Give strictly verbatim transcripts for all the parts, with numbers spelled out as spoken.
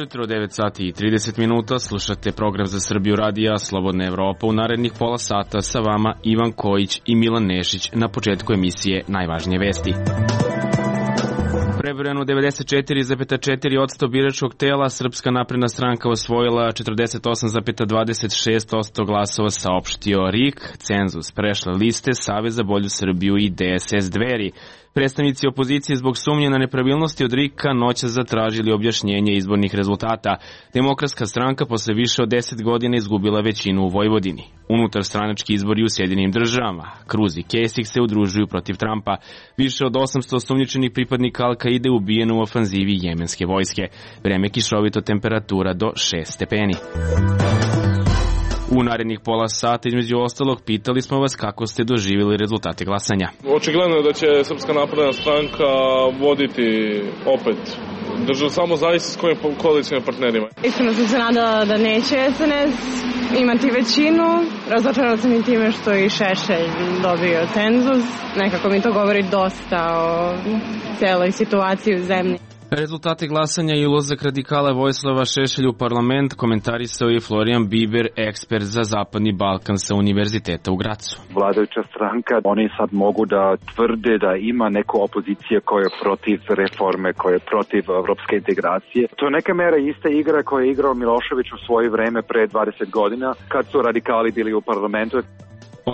Jutro, devet sati i trideset minuta, slušate program za Srbiju radija Slobodna Evropa. U narednih pola sata sa vama Ivan Kojić i Milan Nešić. Na početku emisije najvažnije vesti. Prebrojano devedeset četiri zarez četiri posto biračkog tela, Srpska napredna stranka osvojila četrdeset osam zarez dvadeset šest posto glasova, saopštio R I K. Cenzus prešle liste Savez za bolju Srbiju i D S S Dveri. Predstavnici opozicije zbog sumnje na nepravilnosti od R I K-a noćas zatražili objašnjenje izbornih rezultata. Demokratska stranka posle više od deset godina izgubila većinu u Vojvodini. Unutar stranački izbori u Sjedinim državama. Cruz i Kasich se udružuju protiv Trumpa. Više od osamsto osumnjičenih pripadnika Al-Kaide ubijeno u ofanzivi jemenske vojske. Vreme kišovito, temperatura do šest stepeni. U narednih pola sata, između ostalog, pitali smo vas kako ste doživjeli rezultate glasanja. Očigledno je da će Srpska napredna stranka voditi opet državu, samo zavisi s kojim koalicijnim partnerima. Iskreno sam se nadala da neće S N S imati većinu. Razočarala sam i time što je i Šešelj dobio cenzus. Nekako mi to govori dosta o celoj situaciji u zemlji. Rezultate glasanja i ulazak radikala Vojislava Šešelja u parlament komentarisao je Florijan Biber, ekspert za Zapadni Balkan sa Univerziteta u Gracu. Vladajuća stranka, oni sad mogu da tvrde da ima neku opozicija koja je protiv reforme, koja je protiv evropske integracije. To je neka mera ista igra koja je igrao Milošević u svoje vreme pre dvadeset godina, kad su radikali bili u parlamentu.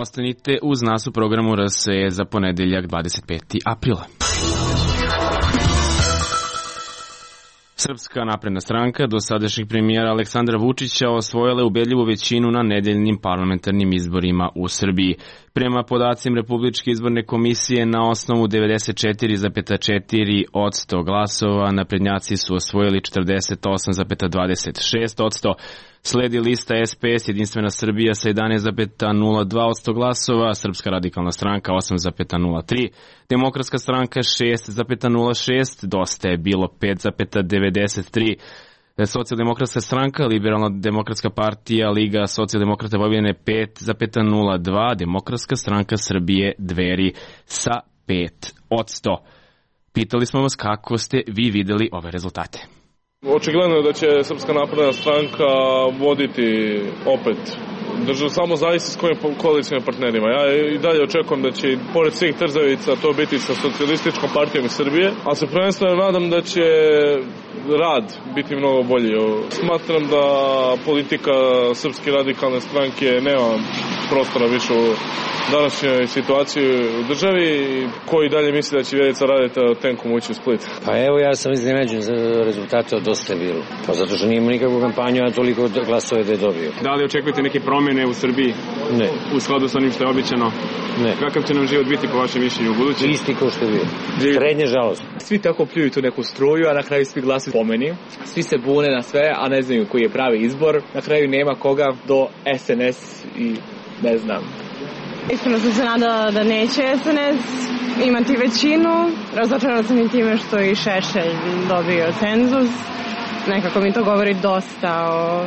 Ostanite uz nas u programu R S E za ponedeljak dvadeset petog aprila. Srpska napredna stranka do sadašnjeg premijera Aleksandra Vučića osvojila ubedljivu većinu na nedeljnim parlamentarnim izborima u Srbiji. Prema podacima Republičke izborne komisije, na osnovu devedeset četiri zarez četiri posto glasova naprednjaci su osvojili četrdeset osam zarez dvadeset šest posto. Sledi lista S P S Jedinstvena Srbija sa jedanaest zarez nula dva posto glasova, Srpska radikalna stranka osam zarez nula tri, Demokratska stranka šest zarez nula šest, Dosta je bilo pet zarez devedeset tri, Socijaldemokratska stranka, Liberalna demokratska partija, Liga socijaldemokrata Vojvodine pet zarez nula dva, Demokratska stranka Srbije Dveri sa pet posto. Pitali smo vas kako ste vi videli ove rezultate. Očigledno je da će Srpska napredna stranka voditi opet državu, samo zavisi s kojim koalicijnim partnerima. Ja i dalje očekujem da će, pored svih trzavica, to biti sa Socijalističkom partijom iz Srbije, ali se prvenstveno nadam da će rad biti mnogo bolji. Smatram da politika Srpske radikalne stranke nema prostora više u današnjoj situaciji u državi. Koji dalje misli da će Vjerica Radeta tenkom ući u Split? Pa evo, ja sam iznenađen za rezultate od Dosta je bilo. Pa zato što nije imao nikakvu kampanju, a toliko glasove da je dobio. Da li očekujete neke promjene u Srbiji? Ne. U skladu sa onim što je običano? Ne. Kakav će nam život biti po vašem mišljenju u budući? Isti kao što je bio. Srednje žalost. Svi tako pljuju tu neku struju, a na kraju svi glasuju po meni. Svi se bune na sve, a ne znaju koji je pravi izbor. Na kraju nema koga do S N S i ne znam. Iskreno sam se nadala da neće S N S imati većinu. Razočarala sam i time što je i Šešelj dobio cenzus. Nekako mi to govori dosta o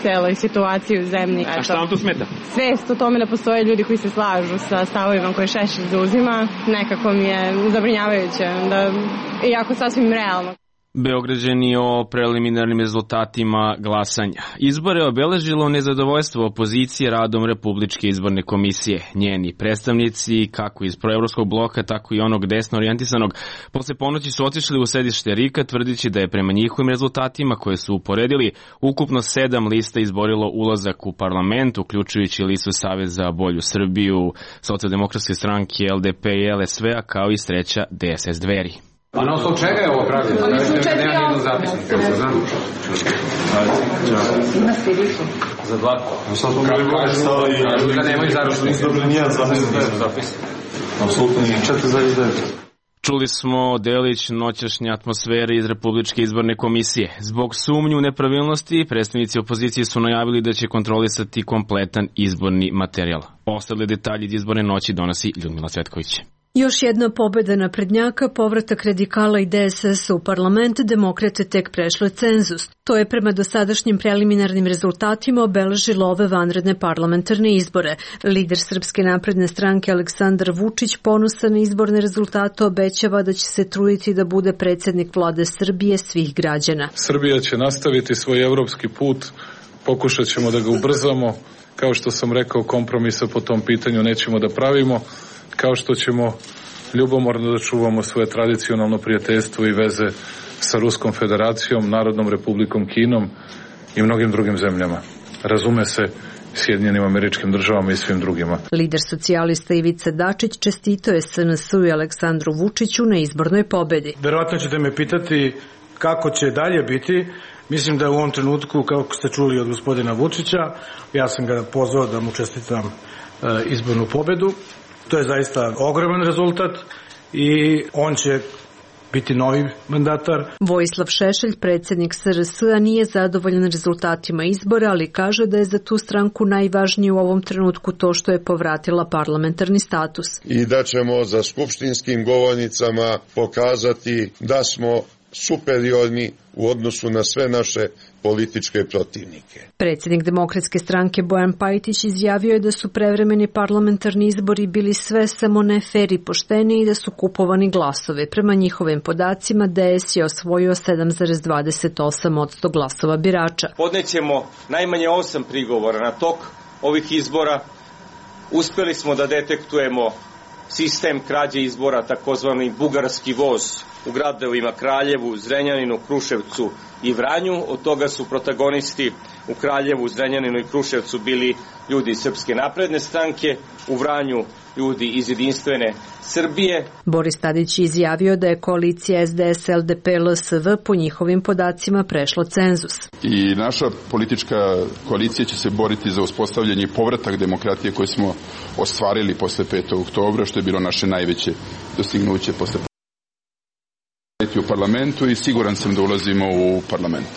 celoj situaciji u zemlji. Eto, a šta vam tu smeta? Svest o tome da postoje ljudi koji se slažu sa stavovima koje Šešelj zauzima, nekako mi je zabrinjavajuće, da, iako sasvim realno. Beograđani o preliminarnim rezultatima glasanja. Izbore je obeležilo nezadovoljstvo opozicije radom Republičke izborne komisije. Njeni predstavnici, kako iz proevropskog bloka, tako i onog desno orijentisanog, posle ponoći su otišli u sedište R I K-a, tvrdići da je prema njihovim rezultatima koje su uporedili, ukupno sedam lista izborilo ulazak u parlament, uključujući listu Savez za bolju Srbiju, Socijaldemokratske stranke, L D P i L S V-a, kao i treća D S S Dveri. A na osnovu čega je ovo pravljeno? Da nema nijednog zapisnika, se znam. Ima sljedeću. Za dva. Kažu da nemaju zapisnika. Dobro, nijedan zapis. Apsolutno nije. četiri zarez devet. Čuli smo delić noćašnje atmosfere iz Republičke izborne komisije. Zbog sumnju nepravilnosti, predstavnici opozicije su najavili da će kontrolisati kompletan izborni materijal. Ostale detalje iz izborne noći donosi Ljudmila Cvetković. Još jedna pobeda naprednjaka, povratak radikala i D S S-a u parlament, demokrate tek prešle cenzus. To je prema dosadašnjim preliminarnim rezultatima obeležilo ove vanredne parlamentarne izbore. Lider Srpske napredne stranke Aleksandar Vučić, ponosan na izborne rezultate, obećava da će se truditi da bude predsjednik vlade Srbije svih građana. Srbija će nastaviti svoj evropski put, pokušat ćemo da ga ubrzamo. Kao što sam rekao, kompromisa po tom pitanju nećemo da pravimo, kao što ćemo ljubomorno da čuvamo svoje tradicionalno prijateljstvo i veze sa Ruskom federacijom, Narodnom republikom Kinom i mnogim drugim zemljama. Razume se, Sjedinjenim Američkim Državama i svim drugima. Lider socijalista Ivica Dačić čestitao je S N S-u i Aleksandru Vučiću na izbornoj pobedi. Verovatno ćete me pitati kako će dalje biti. Mislim da u ovom trenutku, kako ste čuli od gospodina Vučića, ja sam ga pozvao da mu čestitam izbornu pobedu. To je zaista ogroman rezultat i on će biti novi mandatar. Vojislav Šešelj, predsjednik S R S-a, nije zadovoljan rezultatima izbora, ali kaže da je za tu stranku najvažnije u ovom trenutku to što je povratila parlamentarni status. I da ćemo za skupštinskim govornicama pokazati da smo superiorni u odnosu na sve naše političke protivnike. Predsjednik Demokratske stranke Bojan Pajtić izjavio je da su prevremeni parlamentarni izbori bili sve samo ne fer i pošteni i da su kupovani glasove. Prema njihovim podacima D S je osvojio sedam zarez dvadeset osam posto glasova birača. Podnećemo najmanje osam prigovora na tok ovih izbora. Uspeli smo da detektujemo sistem krađe izbora, takozvani bugarski voz, u gradovima Kraljevu, Zrenjaninu, Kruševcu i Vranju. Od toga su protagonisti u Kraljevu, Zrenjaninu i Kruševcu bili ljudi iz Srpske napredne stranke, u Vranju ljudi iz Jedinstvene Srbije. Boris Tadić je izjavio da je koalicija S D S L D P L S V po njihovim podacima prešla cenzus. I naša politička koalicija će se boriti za uspostavljanje i povratak demokratije koje smo ostvarili posle petog oktobra, što je bilo naše najveće dostignuće posle u parlamentu i siguran sam da ulazimo u parlament.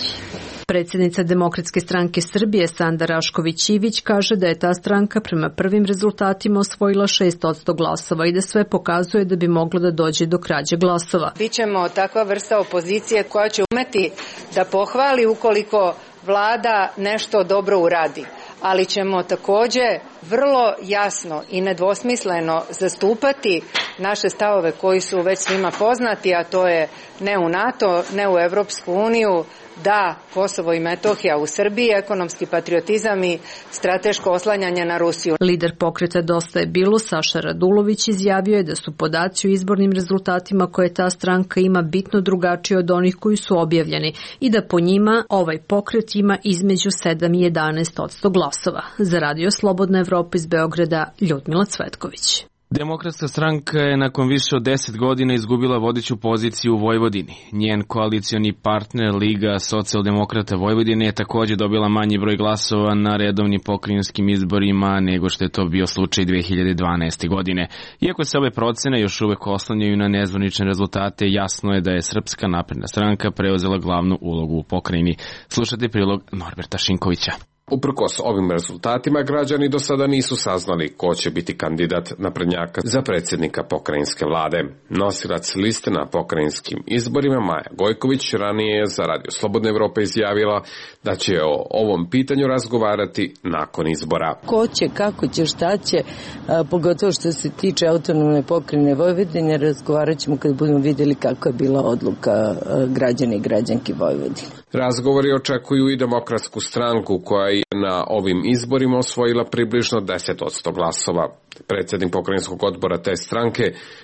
Predsjednica Demokratske stranke Srbije Sanda Rašković-Ivić kaže da je ta stranka prema prvim rezultatima osvojila šest posto glasova i da sve pokazuje da bi moglo da dođe do krađe glasova. Bićemo takva vrsta opozicije koja će umeti da pohvali ukoliko vlada nešto dobro uradi, ali ćemo takođe vrlo jasno i nedvosmisleno zastupati naše stavove koji su već svima poznati, a to je ne u NATO, ne u Evropsku uniju, da Kosovo i Metohija u Srbiji, ekonomski patriotizam i strateško oslanjanje na Rusiju. Lider pokreta Dosta je bilo, Saša Radulović, izjavio je da su podaci o izbornim rezultatima koje ta stranka ima bitno drugačiji od onih koji su objavljeni i da po njima ovaj pokret ima između sedam i jedanaest posto glasova. Za Radio Slobodna Evropa iz Beograda, Ljudmila Cvetković. Demokratska stranka je nakon više od deset godina izgubila vodeću poziciju u Vojvodini. Njen koalicioni partner Liga socijaldemokrata Vojvodine je također dobila manji broj glasova na redovnim pokrajinskim izborima nego što je to bio slučaj dve hiljade dvanaeste. godine. Iako se ove procene još uvek oslanjaju na nezvanične rezultate, jasno je da je Srpska napredna stranka preuzela glavnu ulogu u pokrajini. Slušajte prilog Norberta Šinkovića. Uprkos ovim rezultatima, građani do sada nisu saznali ko će biti kandidat naprednjaka za predsjednika pokrajinske vlade. Nosilac liste na pokrajinskim izborima Maja Gojković ranije je za Radio Slobodna Evropa izjavila da će o ovom pitanju razgovarati nakon izbora. Ko će, kako će, šta će, a, pogotovo što se tiče autonomne pokrajine Vojvodine, razgovarat ćemo kad budemo vidjeli kako je bila odluka a, građana i građanki Vojvodine. Razgovori očekuju i Demokratsku stranku koja je na ovim izborima osvojila približno deset posto glasova. Predsjednik pokrajinskog odbora te stranke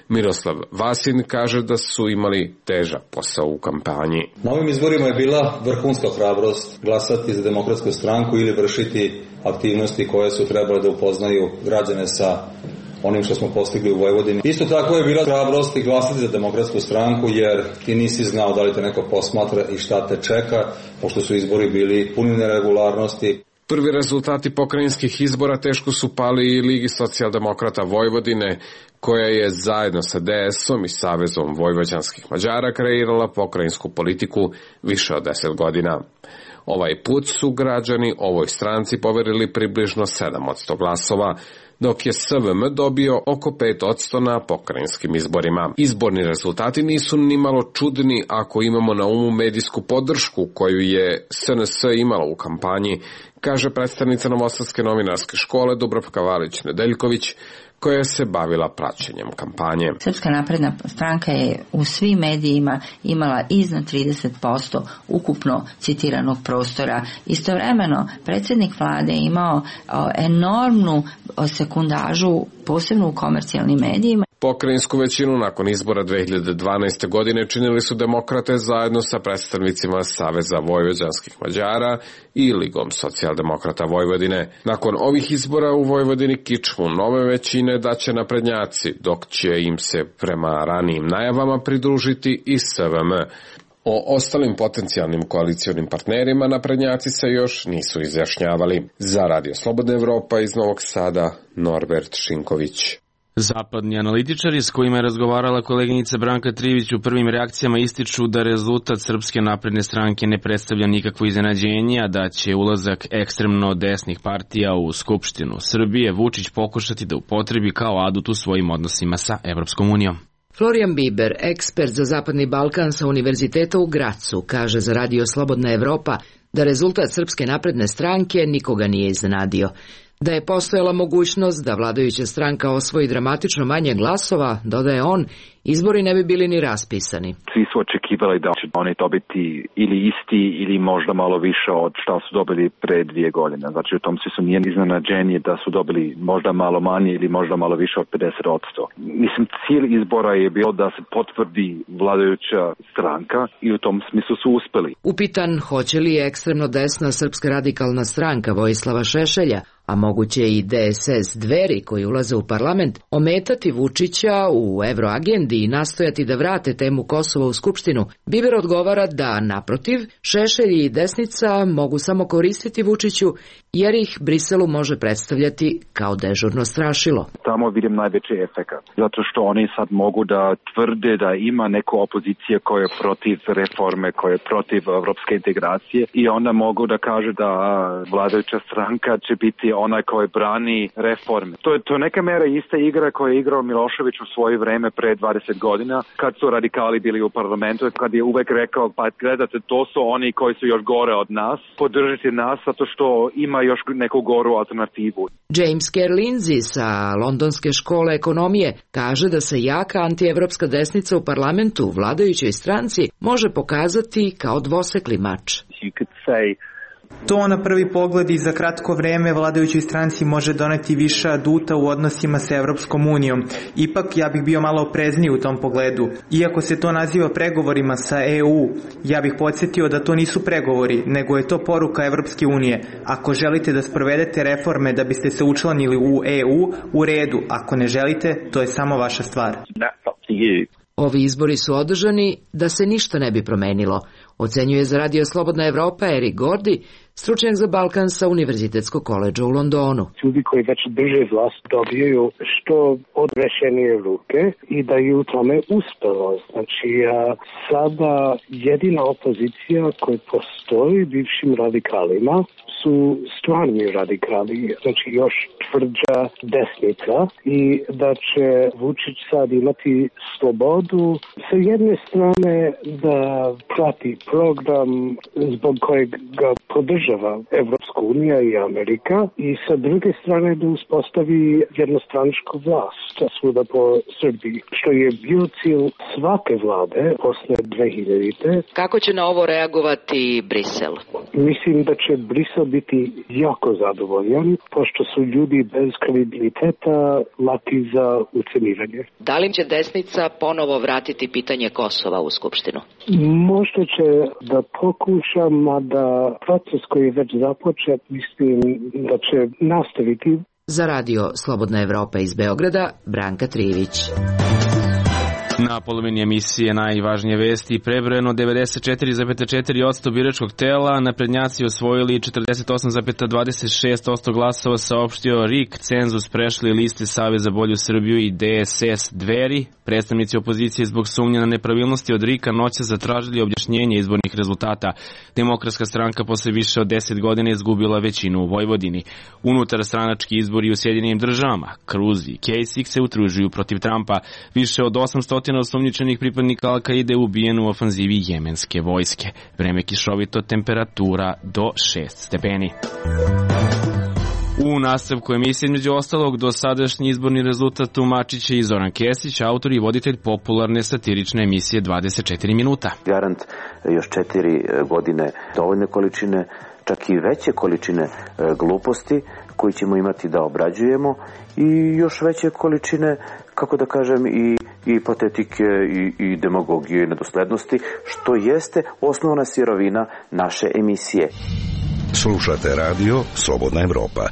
Miroslav Vasin kaže da su imali težak posao u kampanji. Na ovim izborima je bila vrhunska hrabrost glasati za Demokratsku stranku ili vršiti aktivnosti koje su trebale da upoznaju građane sa onim što smo postigli u Vojvodini. Isto tako je bila hrabrost i glasati za Demokratsku stranku jer ti nisi znao da li te neko posmatra i šta te čeka, pošto su izbori bili puni neregularnosti. Prvi rezultati pokrajinskih izbora teško su pali i Ligi socijaldemokrata Vojvodine, koja je zajedno sa D S-om i Savezom vojvođanskih Mađara kreirala pokrajinsku politiku više od deset godina. Ovaj put su građani ovoj stranci poverili približno sedam posto glasova, dok je S V M dobio oko pet posto na pokrajinskim izborima. Izborni rezultati nisu ni malo čudni ako imamo na umu medijsku podršku koju je S N S imala u kampanji, kaže predstavnica Novosadske novinarske škole Dubravka Valić-Nedeljković, koja se bavila praćenjem kampanje. Srpska napredna stranka je u svim medijima imala iznad trideset posto ukupno citiranog prostora. Istovremeno, predsjednik vlade je imao enormnu sekundažu, posebno u komercijalnim medijima. Pokrajinsku većinu nakon izbora dve hiljade dvanaeste. godine činili su demokrate zajedno sa predstavnicima Saveza vojvođanskih Mađara i Ligom socijaldemokrata Vojvodine. Nakon ovih izbora u Vojvodini kičmu nove većine daće naprednjaci, dok će im se prema ranijim najavama pridružiti i S V M. O ostalim potencijalnim koalicionim partnerima naprednjaci se još nisu izjašnjavali. Za Radio Slobodna Evropa iz Novog Sada, Norbert Šinković. Zapadni analitičari s kojima je razgovarala koleginica Branka Trivić u prvim reakcijama ističu da rezultat Srpske napredne stranke ne predstavlja nikakvo iznenađenje, a da će ulazak ekstremno desnih partija u Skupštinu Srbije Vučić pokušati da upotrebi kao adut u svojim odnosima sa Evropskom unijom. Florian Biber, ekspert za Zapadni Balkan sa Univerziteta u Gracu, kaže za Radio Slobodna Evropa da rezultat Srpske napredne stranke nikoga nije iznenadio. Da je postojala mogućnost da vladajuća stranka osvoji dramatično manje glasova, dodaje on, izbori ne bi bili ni raspisani. Svi su očekivali da će oni dobiti ili isti ili možda malo više od što su dobili pre dvije godine. Znači u tom svi su nije iznenađenje da su dobili možda malo manje ili možda malo više od pedeset posto. Mislim, cilj izbora je bio da se potvrdi vladajuća stranka i u tom smislu su uspeli. Upitan hoće li ekstremno desna Srpska radikalna stranka Vojislava Šešelja, a moguće i D S S Dveri koji ulaze u parlament, ometati Vučića u evroagendi i nastojati da vrate temu Kosova u Skupštinu, Biber odgovara da, naprotiv, Šešelj i desnica mogu samo koristiti Vučiću, jer ih Briselu može predstavljati kao dežurno strašilo. Tamo vidim najveći efekat, zato što oni sad mogu da tvrde da ima neku opozicija koja je protiv reforme, koja je protiv evropske integracije i onda mogu da kaže da vladajuća stranka će biti onaj koji brani reforme. To je, to je neka mera ista igra koju je igrao Milošević u svoje vreme pre dvadeset godina, kad su radikali bili u parlamentu, kad je uvek rekao, pa gledate, to su oni koji su još gore od nas, podržite nas zato što ima još neku goru alternativu. James Kerr Lindsay sa Londonske škole ekonomije kaže da se jaka antievropska desnica u parlamentu vladajućoj stranci može pokazati kao dvosekli mač. You could say To na prvi pogled i za kratko vreme vladajućoj stranci može doneti više aduta u odnosima sa Evropskom unijom. Ipak ja bih bio malo oprezniji u tom pogledu. Iako se to naziva pregovorima sa E U, ja bih podsjetio da to nisu pregovori, nego je to poruka Evropske unije. Ako želite da sprovedete reforme da biste se učlanili u E U, u redu. Ako ne želite, to je samo vaša stvar. Ovi izbori su održani da se ništa ne bi promenilo, ocenjuje za Radio Slobodna Evropa Erik Gordi, stručnjak za Balkan sa Univerzitetskog koledža u Londonu. Ljudi koji već drže vlast dobijaju što odrešenije ruke i da je u tome uspelo. Znači, sada jedina opozicija koja postoji bivšim radikalima su stvarni radikali, znači još tvrđa desnica i da će Vučić sad imati slobodu sa jedne strane da prati program zbog kojeg ga podržava Evropska unija i Amerika i sa druge strane da uspostavi jednostranačku vlast svuda po Srbiji, što je bio cilj svake vlade posle dve hiljadite. Kako će na ovo reagovati Brisel? Mislim da će Brisel biti jako zadovoljan, pošto su ljudi bez kredibiliteta laki za uceniranje. Da li će desnica ponovo vratiti pitanje Kosova u Skupštinu? Možda će da pokuša, mada proces koji je već započet, mislim da će nastaviti. Za Radio Slobodna Evropa iz Beograda, Branka Trivić. Na polovini emisije najvažnije vesti prebrojeno devedeset četiri zarez četiri posto biračkog tela, naprednjaci osvojili četrdeset osam zarez dvadeset šest posto glasova, saopštio R I K, cenzus prešli liste Savez za bolju Srbiju i D S S Dveri. Predstavnici opozicije zbog sumnje na nepravilnosti od R I K-a noća zatražili objašnjenje izbornih rezultata. Demokratska stranka posle više od deset godina izgubila većinu u Vojvodini. Unutar stranački izbori u Sjedinjenim državama, Cruz i Kasich se utružuju protiv Trumpa. Više od osamsto osumnjičenih pripadnika Al-Kaide ubijeno u ofanzivi jemenske vojske. Vreme kišovito, temperatura do šest stepeni. U nastavku emisije između ostalog dosadašnji izborni rezultat tumačit će i Zoran Kesić, autor i voditelj popularne satirične emisije dvadeset četiri minuta. Garant još četiri godine dovoljne količine, čak i veće količine gluposti koji ćemo imati da obrađujemo i još veće količine, kako da kažem, i, i patetike i, i demagogije i nedoslednosti, što jeste osnovna sirovina naše emisije. Slušate radio Slobodna Evropa.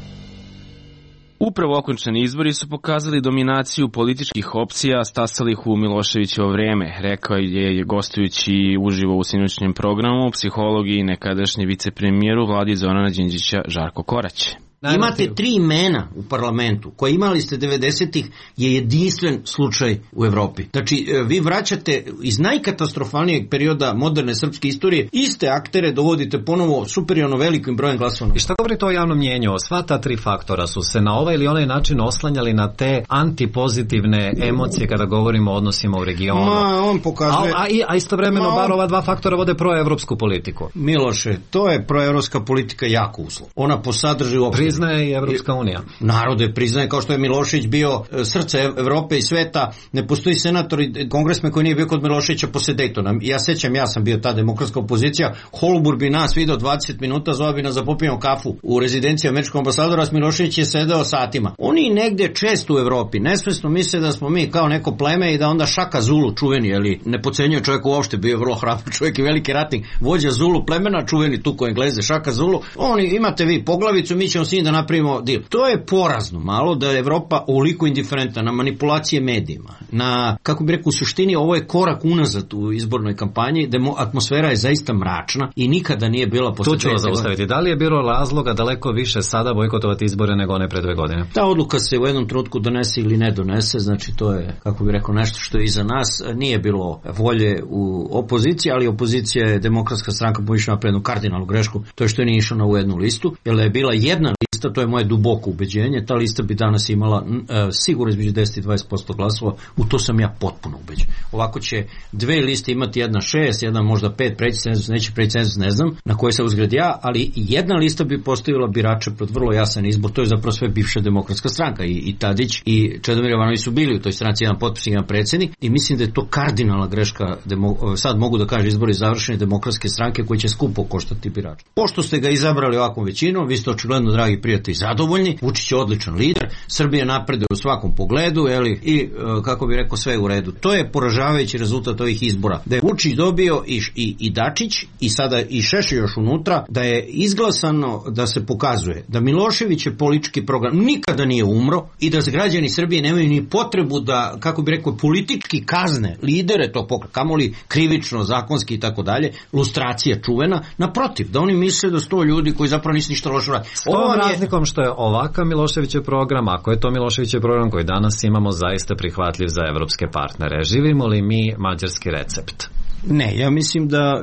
Upravo okončani izbori su pokazali dominaciju političkih opcija stasalih u Miloševićevo vreme, rekao je gostujući uživo u sinoćnjem programu psiholog i nekadašnji vicepremijer u vladi Zorana Đinđića Žarko Korać. Imate tri imena u parlamentu koje imali ste devedesetih je jedinstven slučaj u Evropi. Znači, vi vraćate iz najkatastrofalnijeg perioda moderne srpske istorije iste aktere, dovodite ponovo superiorno velikim brojem glasova. I šta govorite o javnom mnjenju? Sva ta tri faktora su se na ovaj ili onaj način oslanjali na te antipozitivne emocije kada govorimo o odnosima u regionu. Ma, on pokazuje... A, a, a istovremeno Ma, on... bar ova dva faktora vode proevropsku politiku. Miloše, to je proevropska politika jako uslov. Ona po sadržaju opšte priznaje i Evropska unija. Narode priznaje, kao što je Milošević bio srce Evrope i sveta. Ne postoji senator i kongresmen koji nije bio kod Miloševića posle Daytona. Ja sećam, ja sam bio ta demokratska opozicija. Holbur bi nas video dvadeset minuta, zove bi nas za popijemo kafu u rezidenciji američkog ambasadora, s Milošević je sedeo satima. Oni negde često u Evropi nesvesno misle da smo mi kao neko pleme i da onda Šaka Zulu, čuveni, ali ne pocenjuje čovjek uopšte, bio vrlo hrabar čovjek i veliki ratnik, vođa Zulu plemena, čuveni tu koji Engleze, Šaka Zulu. Oni, imate vi poglavicu, mi ćemo s njim da napravimo deal. To je porazno malo da je Evropa ovoliko indiferentna na manipulacije medijima. Na, kako bi rekao, u suštini ovo je korak unazad u izbornoj kampanji, demo, atmosfera je zaista mračna i nikada nije bila posle. To ću vas zaustaviti. Da li je bilo razloga daleko više sada bojkotovati izbore nego one pre dve godine? Ta odluka se u jednom trenutku donese ili ne donese, znači to je, kako bi rekao, nešto što je iza nas. Nije bilo volje u opoziciji, ali opozicija je Demokratska stranka povišla napred jednu kardinalnu grešku, to je što je nije išao na ovu jednu listu, jer je bila jedna lista, to je moje duboko ubeđenje, ta lista bi danas imala e, sigurno između deset i dvadeset posto glasova, u to sam ja potpuno ubeđen. Ovako će dve liste imati jedna šest, jedna možda pet, preći cenzus, neće preći cenzus, ne znam, na koje se uzgled ja, ali jedna lista bi postavila birača pred vrlo jasan izbor, to je zapravo sve bivša Demokratska stranka i, i Tadić i Čedomir Jovanović su bili u toj stranci, jedan potpisnik, jedan predsjednik i mislim da je to kardinalna greška, demo, sad mogu da kažem izbori završene Demokratske stranke koji će skupo koštati birača. Pošto ste ga izabrali ovakvom većinom, vi ste očigledno, dragi prijatelji, zadovoljni, Vučić je odličan lider, Srbija napreduje u svakom pogledu, jeli, i kako bi rekao, sve je u redu. To je poražavajući rezultat ovih izbora. Da je Vučić dobio i, i, i Dačić i sada i Šešelj još unutra, da je izglasano da se pokazuje da Milošević je politički program nikada nije umro i da građani Srbije nemaju ni potrebu da, kako bi rekao, politički kazne lidere tog pokreta, kamoli krivično, zakonski i tako dalje, lustracija čuvena, naprotiv, da oni misle da sto ljudi koji zapravo nisu ništa loše radili. S tom razlikom što je ovakav Miloševićev program, ako je to Miloševićev program koji danas imamo, zaista prihvatljiv za evropske partnere. Živimo li mi mađarski recept? Ne, ja mislim da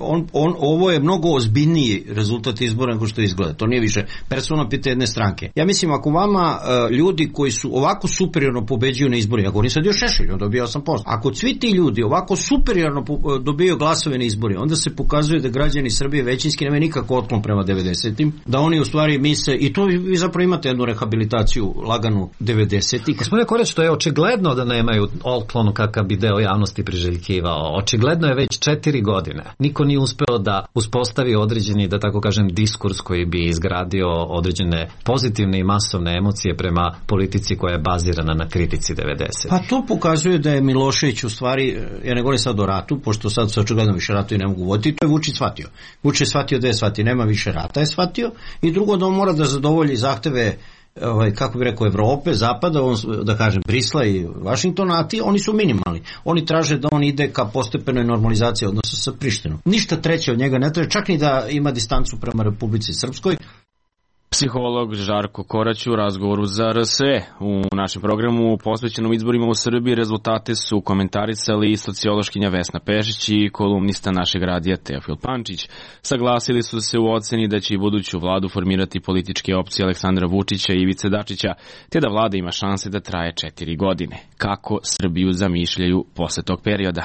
on, on, ovo je mnogo ozbiljniji rezultat izbora nego što izgleda. To nije više personalno pitanje jedne stranke. Ja mislim, ako vama ljudi koji su ovako superiorno pobeđuju na izborima, ako oni sad još Šešelj, on dobija osam posto. Ako svi ti ljudi ovako superiorno dobijaju glasove na izborima, onda se pokazuje da građani Srbije većinski nemaju nikako otklon prema devedesetim, da oni u stvari misle, i to vi zapravo imate jednu rehabilitaciju laganu devedesetih. Gospodine Korać, to je očigledno da nemaju otklon kakav bi deo javnosti priželjkivao. Očigledno je već četiri godine. Niko nije uspeo da uspostavi određeni, da tako kažem, diskurs koji bi izgradio određene pozitivne i masovne emocije prema politici koja je bazirana na kritici devedesetih. Pa to pokazuje da je Milošević u stvari, ja ne govorim sad o ratu, pošto sad se očigledno više ratu i ne mogu voditi, to je Vučić shvatio. Vučić je shvatio da je shvatio, nema više rata je shvatio, i drugo da on mora da zadovolji zahteve ovaj, kako bi rekao, Evrope, Zapada, on, da kažem, Brisla i Vašingtona, a ti, oni su minimalni. Oni traže da on ide ka postepenoj normalizaciji odnosa sa Prištinom. Ništa treće od njega ne traže, čak ni da ima distancu prema Republici Srpskoj. Psiholog Žarko Korać u razgovoru za R S E. U našem programu posvećenom izborima u Srbiji rezultate su komentarisali i sociološkinja Vesna Pešić i kolumnista našeg radija Teofil Pančić. Saglasili su se u oceni da će i buduću vladu formirati političke opcije Aleksandra Vučića i Ivice Dačića, te da vlada ima šanse da traje četiri godine. Kako Srbiju zamišljaju posle tog perioda?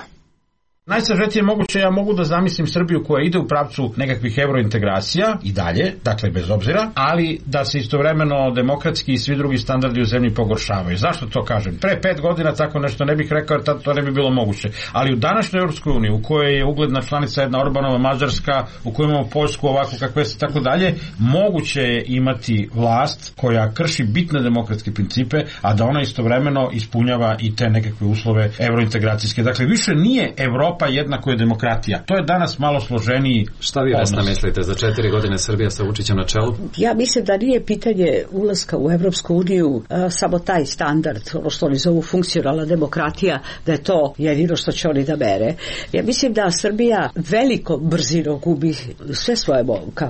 Najsažetije moguće, ja mogu da zamislim Srbiju koja ide u pravcu nekakvih evrointegracija i dalje, dakle bez obzira, ali da se istovremeno demokratski i svi drugi standardi u zemlji pogoršavaju. Zašto to kažem? Pre pet godina tako nešto ne bih rekao, jer tad to ne bi bilo moguće. Ali u današnjoj Europskoj uniji, u kojoj je ugledna članica jedna Orbanova Mađarska, u kojoj imamo Poljsku ovako kakve se tako dalje, moguće je imati vlast koja krši bitne demokratske principe, a da ona istovremeno ispunjava i te nekakve uslove evrointegracijske. Dakle, više nije Evropa pa jednako je demokratija. To je danas malo složeniji. Šta vi, Vesna, mislite za četiri godine Srbija sa Vučićem na čelu? Ja mislim da nije pitanje ulaska u Evropsku uniju a, samo taj standard, ono što oni zovu funkcionalna demokratija, da je to jedino što će oni da mere. Ja mislim da Srbija veliko brzino gubi sve svoje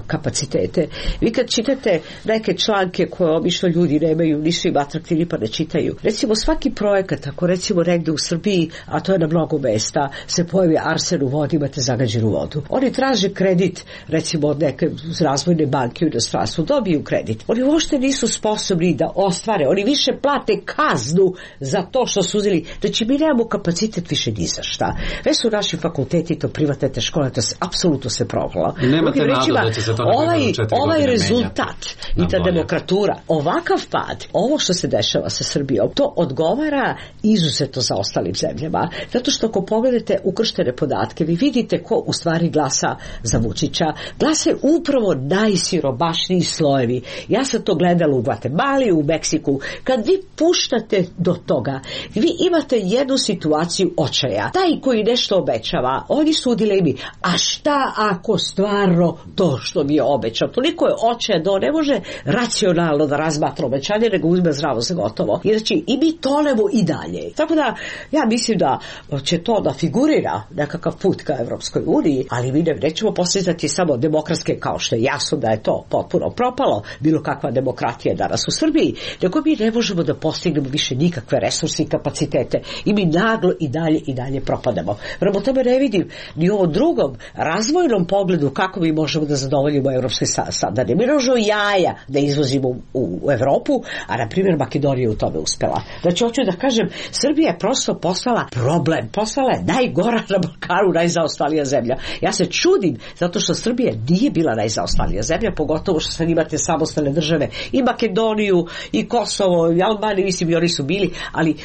kapacitete. Vi kad čitate neke članke koje obično ljudi nemaju, nisu im atraktivni pa ne čitaju. Recimo svaki projekat, ako recimo negde u Srbiji, a to je na mnogo mesta, se pojavi arsen u vodi, imate zagađenu vodu. Oni traže kredit, recimo od neke razvojne banke u inostranstvu, dobiju kredit. Oni uopšte nisu sposobni da ostvare, oni više plate kaznu za to što su uzeli. Znači mi nemamo kapacitet više ni za šta. Već su naši fakulteti, to privatne te škole, to se apsolutno se provala. Nemate nadu da će se to ovaj, ovaj rezultat menjati. I ta demokratura, ovakav pad, ovo što se dešava sa Srbijom, to odgovara izuzetno za ostalim zemljama. Zato što ako pogledate ukrštene podatke, vi vidite ko u stvari glasa za Vučića. Glase upravo najsiromašniji slojevi. Ja sam to gledala u Gvatemali, u Meksiku. Kad vi puštate do toga, vi imate jednu situaciju očaja. Taj koji nešto obećava, oni su u dilemi. A šta ako stvarno to što mi je obećao? Toliko je očaja da on ne može racionalno da razmatra obećanje, nego uzme zdravo za gotovo. I znači, i mi tonemo i dalje. Tako da, ja mislim da će to da figurira nekakav put ka Evropskoj uniji, ali mi ne, nećemo postizati samo demokratske, kao što je jasno da je to potpuno propalo, bilo kakva demokratija danas u Srbiji, nego mi ne možemo da postignemo više nikakve resurse i kapacitete i mi naglo i dalje i dalje propadamo. Prema tome ne vidim ni u ovom drugom razvojnom pogledu kako mi možemo da zadovoljimo evropske standarde. Mi možemo jaja da izvozimo u Evropu, a na primjer Makedonija u tome uspela. Znači hoću da kažem, Srbija je prosto postala problem, postala je najgora na Balkanu, najzaostalija zemlja. Ja se čudim zato što Srbija nije bila najzaostalija zemlja, pogotovo što sad imate samostalne države i Makedoniju i Kosovo i Albaniju, mislim i oni su bili, ali uh,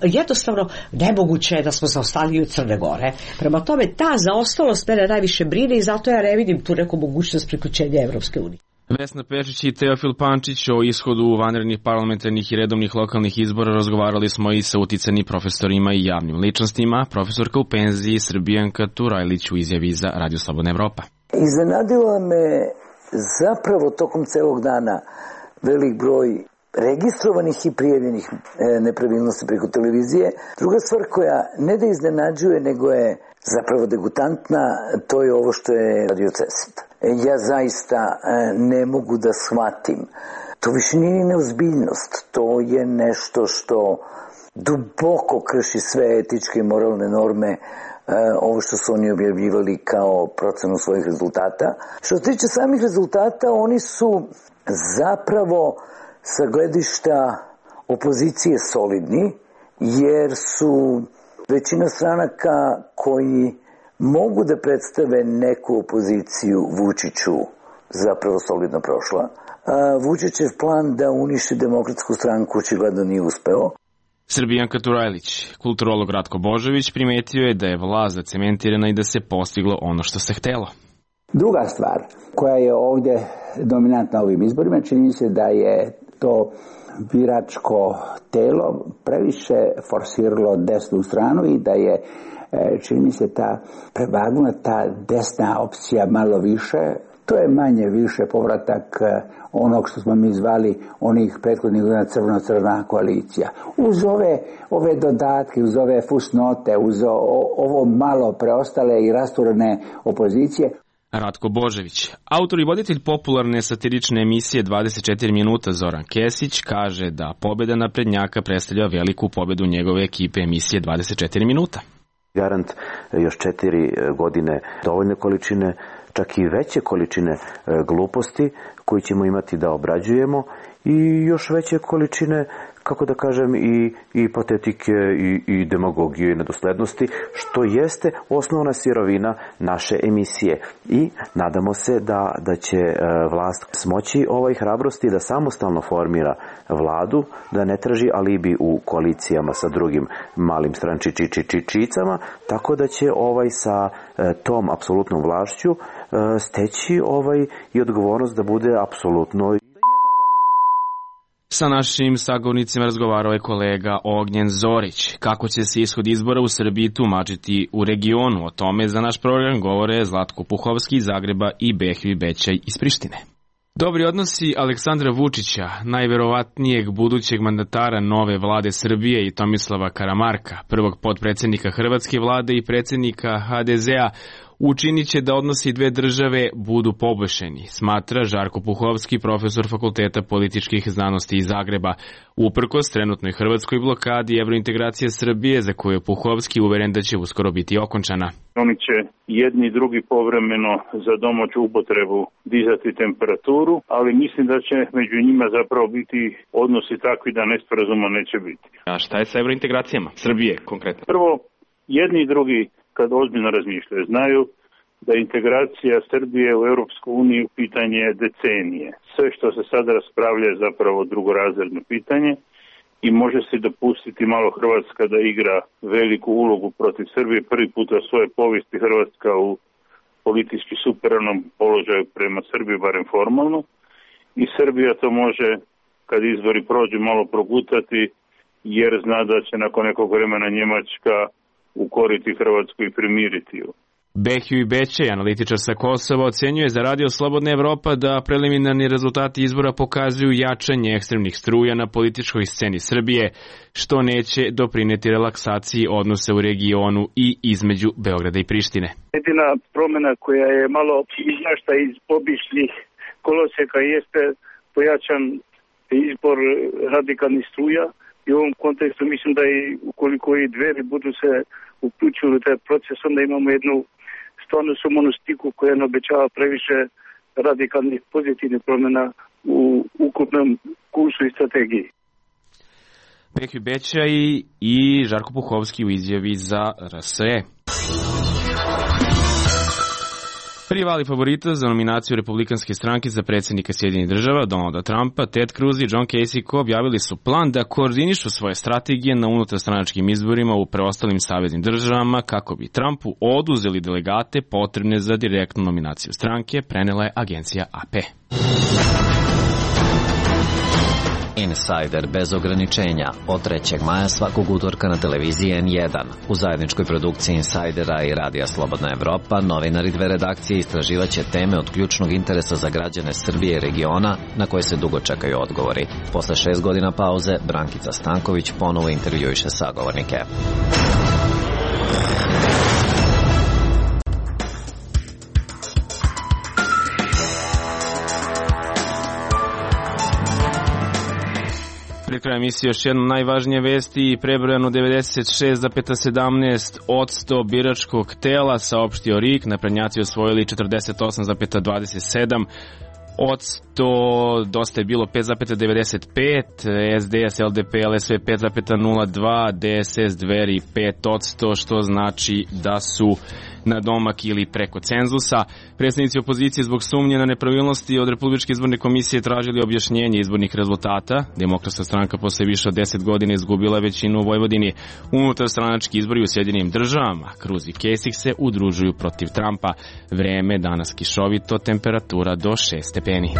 jednostavno nemoguće je da smo zaostaliji od Crne Gore. Prema tome ta zaostalost mene najviše brine i zato ja ne vidim tu neku mogućnost priključenja Evropske unije. Vesna Pešić i Teofil Pančić o ishodu vanrednih parlamentarnih i redovnih lokalnih izbora razgovarali smo i sa uticanim profesorima i javnim ličnostima. Profesorka u penziji Srbijanka Turajlić u izjavi za Radio Slobodna Evropa. Iznenadila me zapravo tokom celog dana velik broj registrovanih i prijavljenih nepravilnosti preko televizije. Druga stvar koja ne da iznenađuje, nego je zapravo degutantna, to je ovo što je Radio Cesit. Ja zaista ne mogu da shvatim. To više nije neozbiljnost. To je nešto što duboko krši sve etičke i moralne norme, ovo što su oni objavljivali kao procenu svojih rezultata. Što se tiče samih rezultata, oni su zapravo sa gledišta opozicije solidni, jer su većina stranaka koji mogu da predstave neku opoziciju Vučiću zapravo solidno prošla. Vučićev plan da uništi Demokratsku stranku očigledno nije uspeo. Srbijanka Turajlić, kulturolog Ratko Božović, primetio je da je vlast zacementirana i da se postiglo ono što se htelo. Druga stvar koja je ovdje dominantna ovim izborima, čini se da je to biračko telo previše forsiralo desnu stranu i da je, čini mi se, ta prevagnula ta desna opcija malo više, To je manje više povratak onog što smo mi zvali onih prethodnih godina crveno-crvena koalicija. Uz ove, ove dodatke, uz ove fusnote, uz o, ovo malo preostale i rasturene opozicije. Ratko Božević, autor i voditelj popularne satirične emisije dvadeset četiri minuta Zoran Kesić, kaže da pobjeda naprednjaka predstavlja veliku pobjedu njegove ekipe emisije dvadeset četiri minuta. Garant još četiri godine dovoljne količine, čak i veće količine gluposti koje ćemo imati da obrađujemo i još veće količine, kako da kažem, i, i patetike i, i demagogije i nedoslednosti, što jeste osnovna sirovina naše emisije. I nadamo se da, da će vlast smoći ovaj hrabrosti da samostalno formira vladu, da ne traži alibi u koalicijama sa drugim malim strančičičičicama, tako da će ovaj sa tom apsolutnom vlašću steći ovaj i odgovornost da bude apsolutno. Sa našim sagovornicima razgovarao je kolega Ognjen Zorić. Kako će se ishod izbora u Srbiji tumačiti u regionu? O tome za naš program govore Zlatko Puhovski iz Zagreba i Behvi Bećaj iz Prištine. Dobri odnosi Aleksandra Vučića, najverovatnijeg budućeg mandatara nove vlade Srbije, i Tomislava Karamarka, prvog potpredsjednika Hrvatske vlade i predsjednika ha de zea, učinit će da odnosi dve države budu poboljšani, smatra Žarko Puhovski, profesor Fakulteta političkih znanosti iz Zagreba. Uprkos trenutnoj hrvatskoj blokadi evrointegracije Srbije, za koju je Puhovski uveren da će uskoro biti okončana. Oni će jedni i drugi povremeno za domaću upotrebu dizati temperaturu, ali mislim da će među njima zapravo biti odnosi takvi da nesporazuma neće biti. A šta je sa evrointegracijama Srbije konkretno? Prvo, jedni i drugi, kad ozbiljno razmišljaju, znaju da integracija Srbije u Europsku uniju pitanje je decenije. Sve što se sada raspravlja je zapravo drugorazredno pitanje i može se dopustiti malo Hrvatska da igra veliku ulogu protiv Srbije. Prvi put u svojoj povijesti Hrvatska u politički superiornom položaju prema Srbiji, barem formalno. I Srbija to može, kad izbori prođu, malo progutati, jer zna da će nakon nekog vremena Njemačka ukoriti Hrvatsku i primiriti ju. Behju Bećaj, analitičar sa Kosova, ocenjuje za Radio Slobodna Evropa da preliminarni rezultati izbora pokazuju jačanje ekstremnih struja na političkoj sceni Srbije, što neće doprineti relaksaciji odnosa u regionu i između Beograda i Prištine. Jedina promjena koja je malo izašla iz običnih koloseka jeste pojačan izbor radikalnih struja. I u ovom kontekstu mislim da i ukoliko i dveri budu se uključili u taj proces, onda imamo jednu stvarno sumonistiku koja ne obećava previše radikalnih pozitivnih promjena u ukupnom kursu i strategiji. Behju Bećaj i Žarko Puhovski u izjavi za er es e. Rivali favorita za nominaciju Republikanske stranke za predsjednika Sjedinjenih država, Donalda Trumpa, Ted Cruz i John Kasich objavili su plan da koordinišu svoje strategije na unutarstranačkim izborima u preostalim saveznim državama kako bi Trumpu oduzeli delegate potrebne za direktnu nominaciju stranke, prenela je agencija a pe. Insider bez ograničenja od trećeg maja svakog utorka na televiziji en jedan. U zajedničkoj produkciji Insidera i Radija Slobodna Evropa novinari dve redakcije istraživaće teme od ključnog interesa za građane Srbije i regiona na koje se dugo čekaju odgovori. Posle šest godina pauze, Brankica Stanković ponovo intervjuiše sagovornike. Pri kraju emisije još jedna najvažnije vesti i prebrojano devedeset šest zarez sedamnaest odsto biračkog tela, saopštio er i ka, naprednjaci osvojili četrdeset osam zarez dvadeset sedam odsto, dosta je bilo pet zarez devedeset pet, es de es, el de pe, el es ve pet zarez nula dva, de es es Dveri pet odsto, što znači da su na domak ili preko cenzusa. Predstavnici opozicije zbog sumnje na nepravilnosti od Republičke izborne komisije tražili objašnjenje izbornih rezultata. Demokratska stranka posle više od deset godina izgubila većinu u Vojvodini. Unutarstranački izbori u Sjedinjenim državama. Cruz i Kasich se udružuju protiv Trumpa. Vreme danas kišovito, temperatura do šest stepeni.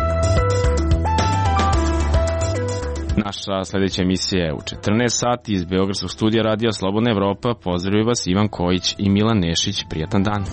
Naša sljedeća emisija je u četrnaest sati iz Beogradskog studija Radija Slobodna Evropa. Pozdravljaju vas Ivan Kojić i Milan Nešić. Prijatan dan.